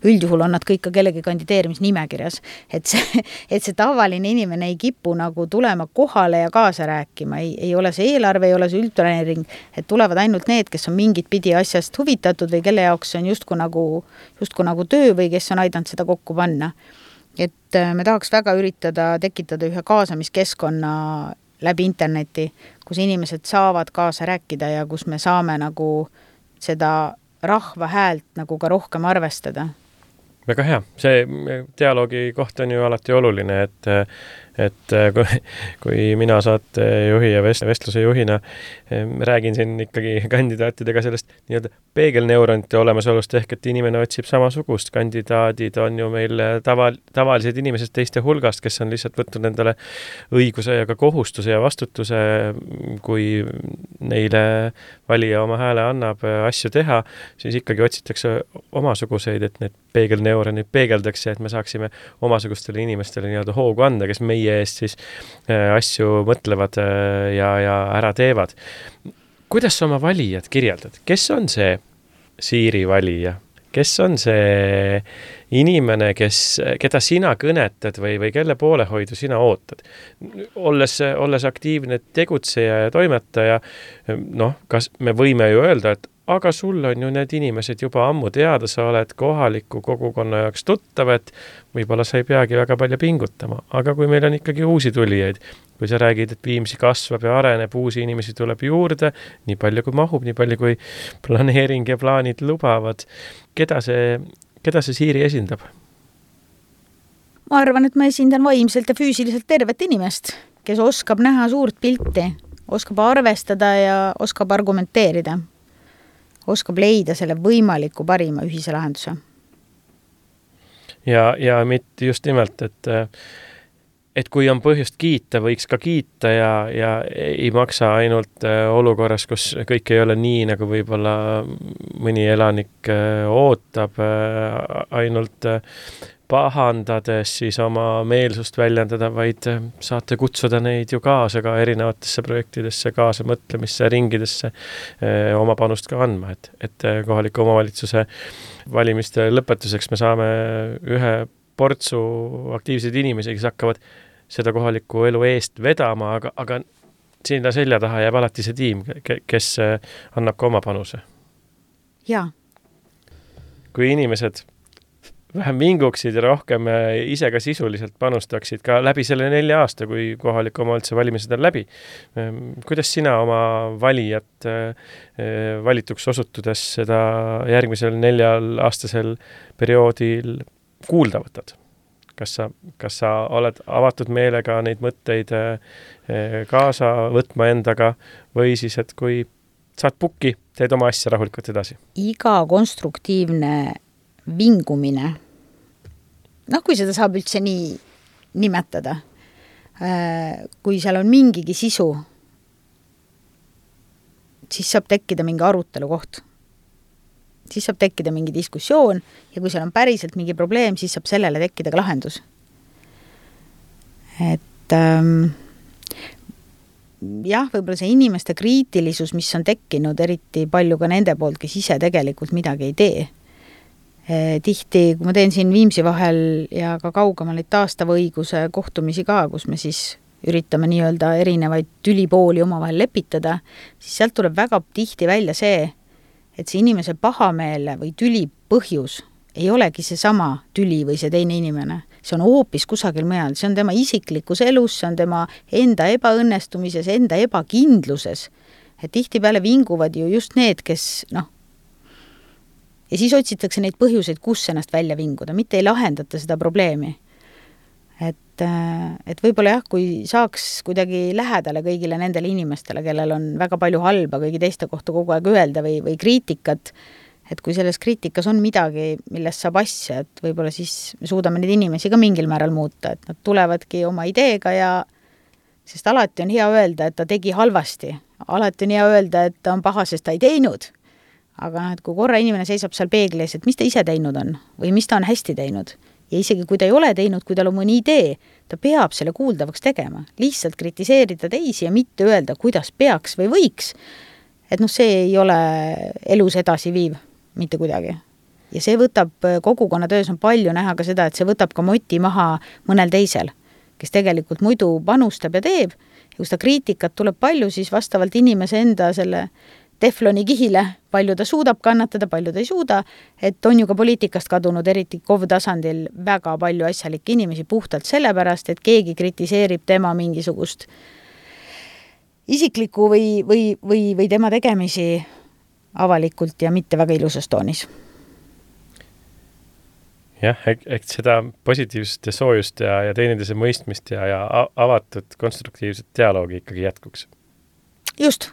Üldjuhul on nad kõik ka kellegi kandideerimisnimekirjas, et see tavaline inimene ei kipu nagu tulema kohale ja kaasa rääkima, ei ole see eelarve, ei ole see üldplaneering, et tulevad ainult need, kes on mingit pidi asjast huvitatud või kelle jaoks on justkui nagu töö või kes on aidanud seda kokku panna. Et me tahaks väga üritada tekitada ühe kaasamiskeskkonna läbi interneti, kus inimesed saavad kaasa rääkida ja kus me saame nagu seda rahva häält nagu ka rohkem arvestada. Väga hea. See dialoogi koht on ju alati oluline, et kui mina saatejuhi ja vestluse juhina räägin siin ikkagi kandidaatidega sellest nii-öelda peegelneuronite olemasolust ehk, et inimene otsib samasugust. Kandidaadid on ju meil tavalised inimesed teiste hulgast, kes on lihtsalt võtnud endale õiguse ja ka kohustuse ja vastutuse, kui neile valija oma hääle annab asju teha, siis ikkagi otsitakse omasuguseid, et need peegelneuronid peegeldaks ja et me saaksime omasugustele inimestele nii-öelda hoogu anda, kes meie eest siis asju mõtlevad ja ära teevad. Kuidas sa oma valijad kirjeldad? Kes on see Siiri valija? Kes on see inimene, keda sina kõnetad või kelle poolehoidu sina ootad? Olles aktiivne tegutseja ja toimetaja, kas me võime ju öelda, et aga sul on ju need inimesed juba ammu teada, sa oled kohaliku kogukonna jaoks tuttav, et võib-olla sa ei peagi väga palju pingutama. Aga kui meil on ikkagi uusi tulijaid, kui sa räägid, et Viimsi kasvab ja areneb, uusi inimesi tuleb juurde, nii palju kui mahub, nii palju kui planeering ja plaanid lubavad, keda see Siiri esindab? Ma arvan, et ma esindan vaimselt ja füüsiliselt tervet inimest, kes oskab näha suurt pilti, oskab arvestada ja oskab argumenteerida. Oskab leida selle võimaliku parima ühise lahenduse. Ja mitte just nimelt, et kui on põhjust kiita, võiks ka kiita ja ei maksa ainult olukorras, kus kõik ei ole nii, nagu võib-olla mõni elanik ootab, ainult pahandades siis oma meelsust väljendada, vaid saate kutsuda neid ju kaasa ka erinevatesse projektidesse, kaasa mõtlemisse, ringidesse oma panust ka andma, et kohaliku omavalitsuse valimiste lõpetuseks me saame ühe portsu aktiivseid inimesi, kes hakkavad seda kohaliku elu eest vedama, aga sinna selja taha jääb alati see tiim, kes annab ka oma panuse. Jaa. Kui inimesed vähem vinguksid ja rohkem ise ka sisuliselt panustaksid ka läbi selle 4 aasta, kui kohaliku omavalitsuse valimised on läbi. Kuidas sina oma valijat valituks osutudes seda järgmisel 4-aastasel perioodil kuulda võtad? Kas sa oled avatud meelega neid mõtteid kaasa võtma endaga või siis, et kui saad pukki, teed oma asja rahulikult edasi? Iga konstruktiivne vingumine, kui seda saab üldse nii nimetada, kui seal on mingigi sisu, siis saab tekkida mingi arutelu koht. Siis saab tekkida mingi diskussioon ja kui seal on päriselt mingi probleem, siis saab sellele tekkida ka lahendus. Et jah, võib-olla see inimeste kriitilisus, mis on tekkinud eriti palju ka nende poolt, kes ise tegelikult midagi ei tee. Tihti, kui ma teen siin Viimsi vahel ja ka kaugemal neid taastava õiguse kohtumisi ka, kus me siis üritame nii-öelda erinevaid tülipooli omavahel lepitada, siis sealt tuleb väga tihti välja see, et see inimese pahameele või tüli põhjus ei olegi see sama tüli või see teine inimene. See on hoopis kusagil mujal, see on tema isiklikus elus, see on tema enda ebaõnnestumises, enda ebakindluses. Et tihtipeale vinguvad ju just need, kes ja siis otsitakse neid põhjuseid, kus ennast välja vinguda, mitte ei lahendata seda probleemi. Et võib-olla jah, kui saaks kuidagi lähedale kõigile nendele inimestele, kellel on väga palju halba kõigi teiste kohta kogu aeg öelda või kriitikat, et kui selles kriitikas on midagi, millest saab asja, et võib-olla siis me suudame neid inimesi ka mingil määral muuta, et nad tulevadki oma ideega sest alati on hea öelda, et ta tegi halvasti. Alati on hea öelda, et ta on paha, sest ta ei teinud. Aga et kui korra inimene seisab seal peeglis, et mis ta ise teinud on või mis ta on hästi teinud ja isegi kui ta ei ole teinud, kui tal on mõni idee, ta peab selle kuuldavaks tegema. Lihtsalt kritiseerida teisi ja mitte öelda, kuidas peaks või võiks. Et see ei ole elus edasi viiv mitte kuidagi. Ja see võtab, kogukonna töös on palju näha ka seda, et see võtab ka moti maha mõnel teisel, kes tegelikult muidu panustab ja teeb. Ja kui seda kriitikat tuleb palju, siis vastavalt inimese enda selle tefloni kihile, palju ta suudab kannatada, palju ta ei suuda, et on ju ka poliitikast kadunud, eriti KOV tasandil väga palju asjalikke inimesi puhtalt sellepärast, et keegi kritiseerib tema mingisugust isiklikku või tema tegemisi avalikult ja mitte väga ilusas toonis. Jah, eks seda positiivsust ja soojust ja teineteise mõistmist ja avatud konstruktiivset dialoogi ikkagi jätkuks. Just,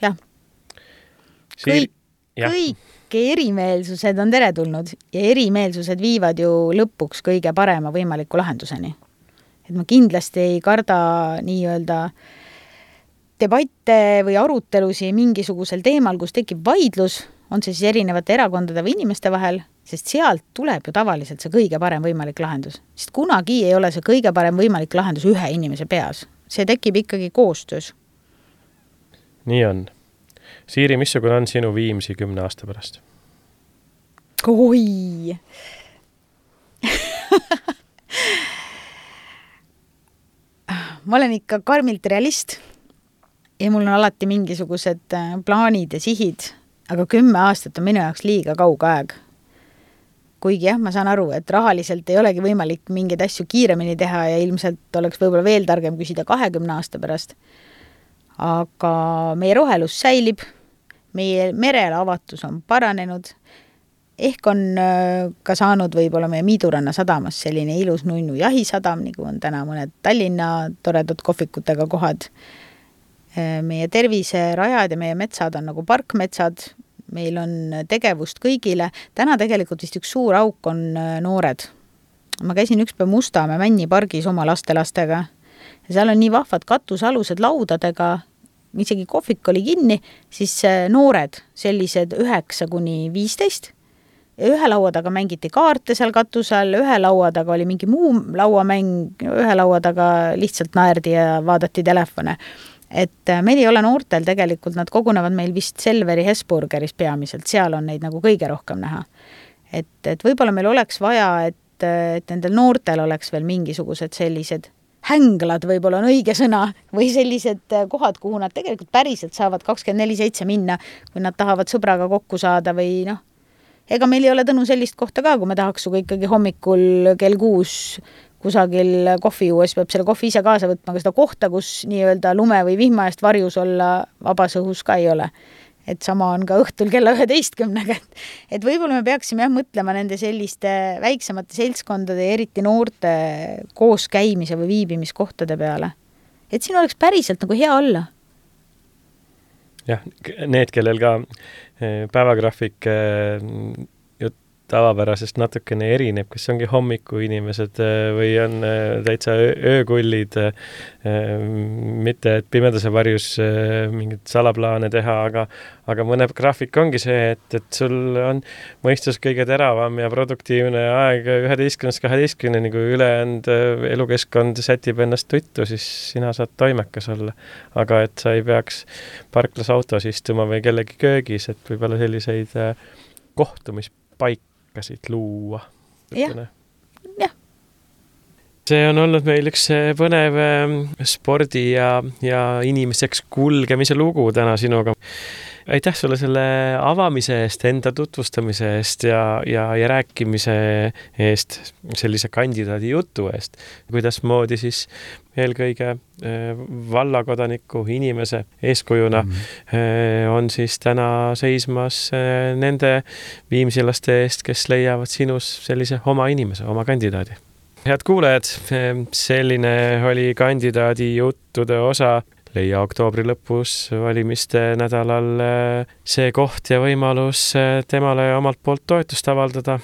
jah. Kõik erimeelsused on teretulnud ja erimeelsused viivad ju lõpuks kõige parema võimaliku lahenduseni. Et ma kindlasti ei karda nii-öelda debatte või arutelusi mingisugusel teemal, kus tekib vaidlus, on see siis erinevate erakondade või inimeste vahel, sest sealt tuleb ju tavaliselt see kõige parem võimalik lahendus. Sest kunagi ei ole see kõige parem võimalik lahendus ühe inimese peas. See tekib ikkagi koostöös. Nii on. Siiri, missugune on sinu Viimsi 10 aasta pärast? Oi! Ma olen ikka karmilt realist ja mul on alati mingisugused plaanid ja sihid, aga 10 aastat on minu jaoks liiga kauge aeg. Kuigi jah, ma saan aru, et rahaliselt ei olegi võimalik mingeid asju kiiremini teha ja ilmselt oleks võib-olla veel targem küsida 20 aasta pärast. Aga meie rohelus säilib, meie merele avatus on paranenud, ehk on ka saanud võib-olla meie Miiduranna sadamas selline ilus nunnu jahisadam, nagu on täna mõned Tallinna toredad kohvikutega kohad. Meie terviserajad ja meie metsad on nagu parkmetsad, meil on tegevust kõigile. Täna tegelikult vist üks suur auk on noored. Ma käisin ükspäev Mustamäe Männipargis oma lastelastega ja seal on nii vahvad katusalused laudadega, isegi kohvik oli kinni, siis noored, sellised 9–15 ja ühe laua taga mängiti kaarte seal katusel, ühe laua taga oli mingi muu lauamäng, ühe laua taga lihtsalt naerdi ja vaadati telefone. Et meil ei ole noortel tegelikult, nad kogunevad meil vist Selveri Hesburgeris peamiselt, seal on neid nagu kõige rohkem näha. Et võib-olla meil oleks vaja, et nendel noortel oleks veel mingisugused sellised hänglad, võib-olla on õige sõna, või sellised kohad, kuhu nad tegelikult päriselt saavad 24/7 minna, kui nad tahavad sõbraga kokku saada või noh. Ega meil ei ole Tõnu sellist kohta ka, kui me tahaks suga ikkagi hommikul kell 6 kusagil kohvi juues, peab selle kohvi ise kaasa võtma, aga seda kohta, kus nii-öelda lume või vihma eest varjus olla vabas õhus ka ei ole. Et sama on ka õhtul kella 11. Et võib-olla me peaksime mõtlema nende selliste väiksemate seltskondade ja eriti noorte koos käimise või viibimiskohtade peale. Et siin oleks päriselt nagu hea olla. Jah, need, kellel ka päevagraafik tavapärasest natukene erineb, kes ongi hommiku inimesed või on täitsa öökullid, mitte et pimedase varjus mingid salaplaane teha, aga mõne graafik ongi see, et sul on mõistus kõige teravam ja produktiivne aeg 11–12, kui ülejäänud elukeskkond sätib ennast tuttu, siis sina saad toimekas olla. Aga et sa ei peaks parklas autos istuma või kellegi köögis, et võib-olla selliseid kohtumispaik luua. Jah. See on olnud meil üks põnev spordi ja inimeseks kulgemise lugu täna sinuga. Aitäh sulle selle avamise eest, enda tutvustamise eest ja rääkimise eest, sellise kandidaadi jutu eest. Kuidas moodi siis eelkõige vallakodaniku inimese eeskujuna on siis täna seismas nende viimsilaste eest, kes leiavad sinus sellise oma inimese, oma kandidaadi. Head kuulajad, selline oli kandidaadi juttude osa. Leia oktoobri lõpus valimiste nädalal see koht ja võimalus temale omalt poolt toetust avaldada.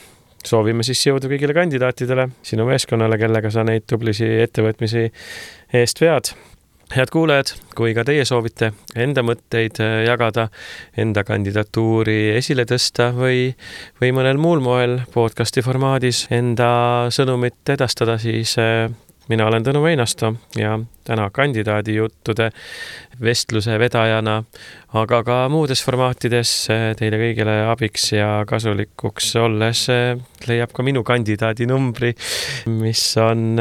Soovime siis jõudu kõigile kandidaatidele, sinu meeskonnale, kellega sa neid tublisi ettevõtmisi eest vead. Head kuulajad, kui ka teie soovite enda mõtteid jagada, enda kandidatuuri esile tõsta või mõnel muul moel podcasti formaadis enda sõnumit edastada, siis mina olen Tõnu Meinasto ja täna kandidaadi juttude vestluse vedajana, aga ka muudes formaatides teile kõigile abiks ja kasulikuks olles leiab ka minu kandidaadi numbri, mis on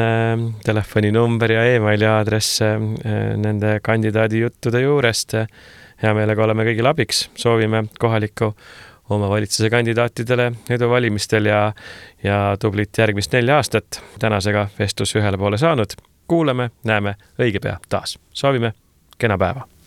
telefoninumber ja e-maili aadress nende kandidaadi juttude juurest. Hea meelega oleme kõigile abiks, soovime kohaliku oma valitsuse kandidaatidele edu valimistel ja tublit järgmist 4 aastat. Tänasega vestlus ühele poole saanud. Kuulame, näeme õige pea taas. Soovime kena päeva.